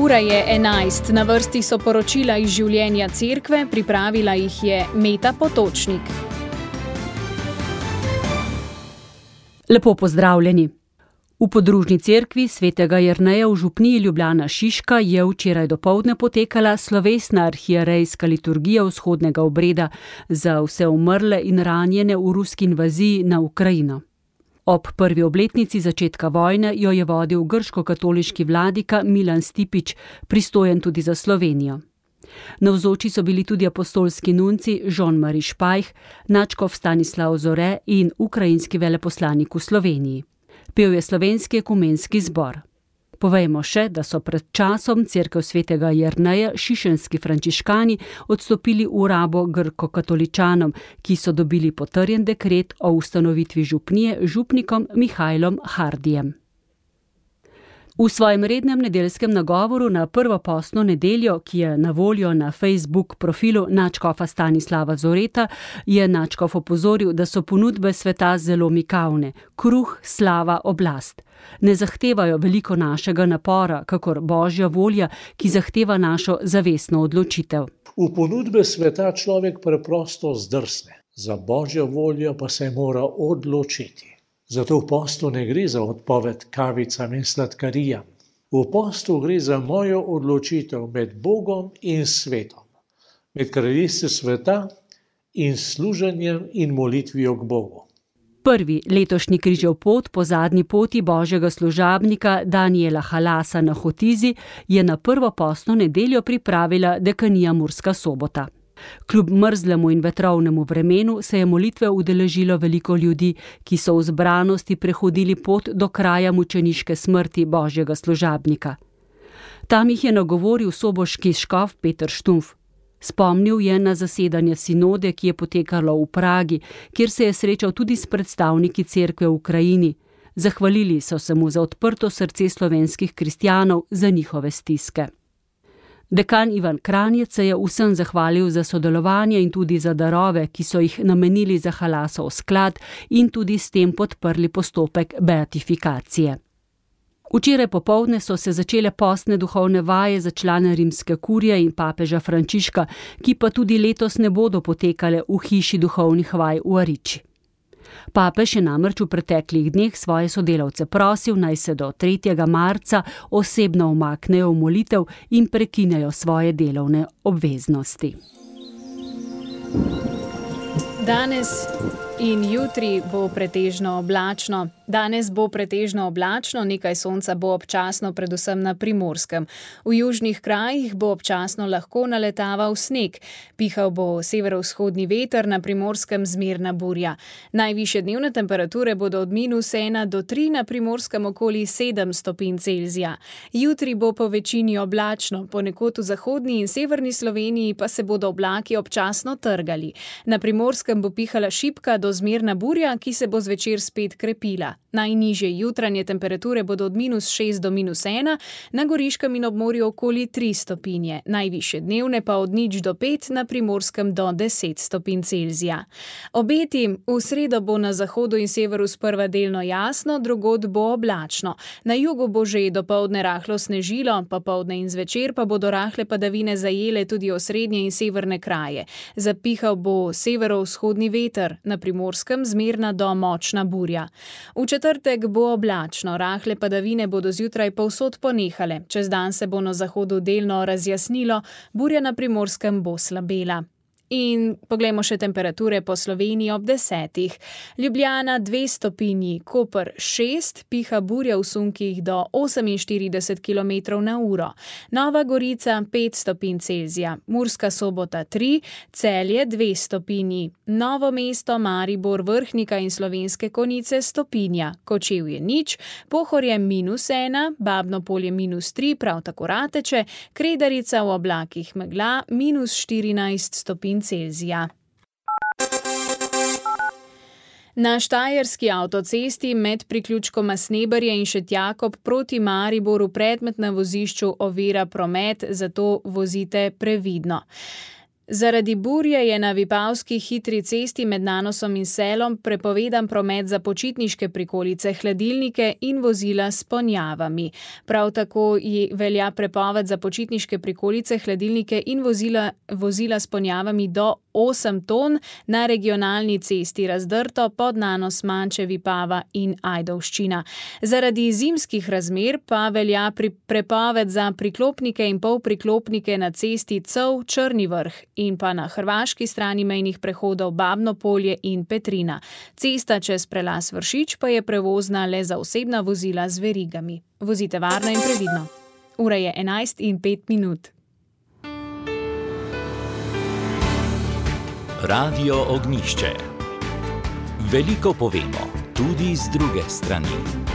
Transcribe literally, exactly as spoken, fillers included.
Ura je enajst, na vrsti so poročila iz življenja cerkve, pripravila jih je Meta Potočnik. Lepo pozdravljeni. V podružni cerkvi svetega Jerneja v župniji Ljubljana Šiška je včeraj dopoldne potekala slovesna arhierejska liturgija vzhodnega obreda za vse umrle in ranjene v ruski invaziji na Ukrajino. Ob prvi obletnici začetka vojne jo je vodil grško-katoliški vladika Milan Stipić, pristojen tudi za Slovenijo. Navzoči so bili tudi apostolski nunci Jean-Marie Špajh, nadškof Stanislav Zore in ukrajinski veleposlanik v Sloveniji. Pel je slovenski ekumenski zbor. Povejmo še, da so pred časom cerkev svetega Jerneja šišenski frančiškani odstopili v rabo grko-katoličanom, ki so dobili potrjen dekret o ustanovitvi župnije župnikom Mihajlom Hardijem. V svojem rednem nedeljskem nagovoru na prvo postno nedeljo, ki je na voljo na Facebook profilu nadškofa Stanislava Zoreta, je nadškof opozoril, da so ponudbe sveta zelo mikavne: kruh, slava, oblast. Ne zahtevajo veliko našega napora, kakor božja volja, ki zahteva našo zavestno odločitev. V ponudbe sveta človek preprosto zdrsne, za božjo voljo pa se mora odločiti. Zato v postu ne gre za odpoved kavicam in sladkarijam. V postu gre za mojo odločitev med Bogom in svetom, med kraljestvom sveta in služenjem in molitvijo k Bogu. Prvi letošnji križev pot po zadnji poti božjega služabnika Daniela Halasa na Hotizi je na prvo postno nedeljo pripravila dekanija Murska Sobota. Kljub mrzlemu in vetrovnemu vremenu se je molitve udeležilo veliko ljudi, ki so v zbranosti prehodili pot do kraja mučeniške smrti božjega služabnika. Tam jih je nagovoril soboški škof Peter Štumf. Spomnil je na zasedanje sinode, ki je potekalo v Pragi, kjer se je srečal tudi s predstavniki cerkve v Ukrajini. Zahvalili so se mu za odprto srce slovenskih kristjanov, za njihove stiske. Dekan Ivan Kranjec se je vsem zahvalil za sodelovanje in tudi za darove, ki so jih namenili za Halasov sklad in tudi s tem podprli postopek beatifikacije. Včeraj popoldne so se začele postne duhovne vaje za člane rimske kurije in papeža Frančiška, ki pa tudi letos ne bodo potekale v hiši duhovnih vaj v Ariči. Papež je namreč v preteklih dneh svoje sodelavce prosil, naj se do tretjega marca osebno umaknejo v molitev in prekinejo svoje delovne obveznosti. Danes in jutri bo pretežno oblačno. Danes bo pretežno oblačno, nekaj sonca bo občasno predvsem na Primorskem. V južnih krajih bo občasno lahko naletaval sneg. Pihal bo severovzhodni veter, na Primorskem zmerna burja. Najvišje dnevne temperature bodo od minus ena do tri, na Primorskem okoli sedem stopinj Celzija. Jutri bo po večini oblačno, ponekod v zahodni in severni Sloveniji pa se bodo oblaki občasno trgali. Na Primorskem bo pihala šibka do zmerna burja, ki se bo zvečer spet krepila. Najnižje jutranje temperature bodo od minus šest do minus ena, na Goriškem in ob morju okoli tri stopinje, najvišje dnevne pa od nič do pet, na Primorskem do deset stopinj Celzija. Obeti: v sredo bo na zahodu in severu sprva delno jasno, drugod bo oblačno. Na jugu bo že dopoldne rahlo snežilo, popoldne in zvečer pa bodo rahle padavine zajele tudi osrednje in severne kraje. Zapihal bo severovzhodni veter, na Primorskem zmerna do močna burja. V četrtek bo oblačno, rahle padavine bodo zjutraj povsod ponehale, čez dan se bo na zahodu delno razjasnilo, burja na Primorskem bo slabela. In poglejmo še temperature po Sloveniji ob desetih. Ljubljana dve stopinji, Koper šest, piha burja v sunkih do oseminštirideset kilometrov na uro. Nova Gorica pet stopinj Celzija, Murska Sobota tri, Celje dve stopinji, Novo mesto, Maribor, Vrhnika in Slovenske Konjice stopinja, Kočevje nič, Pohorje minus ena, Babno Polje minus tri, prav tako Rateče, Kredarica v oblakih megla minus štirinajst stopinj Celzija. Na štajerski avtocesti med priključkoma Sneberje in Šentjakob proti Mariboru predmet na vozišču ovira promet, zato vozite previdno. Zaradi burje je na vipavski hitri cesti med Nanosom in Selom prepovedan promet za počitniške prikolice, hladilnike in vozila s ponjavami. Prav tako velja prepoved za počitniške prikolice, hladilnike in vozila, vozila s ponjavami do osem ton na regionalni cesti Razdrto pod Nanos, Manče, Vipava in Ajdovščina. Zaradi zimskih razmer pa velja pri prepoved za priklopnike in polpriklopnike na cesti Cov, Črni Vrh in pa na hrvaški strani mejnih prehodov Babno Polje in Petrina. Cesta čez prelaz Vršič pa je prevozna le za osebna vozila z verigami. Vozite varno in previdno. Ura je enajst in pet minut. Radio Ognjišče. Veliko povemo, tudi z druge strani.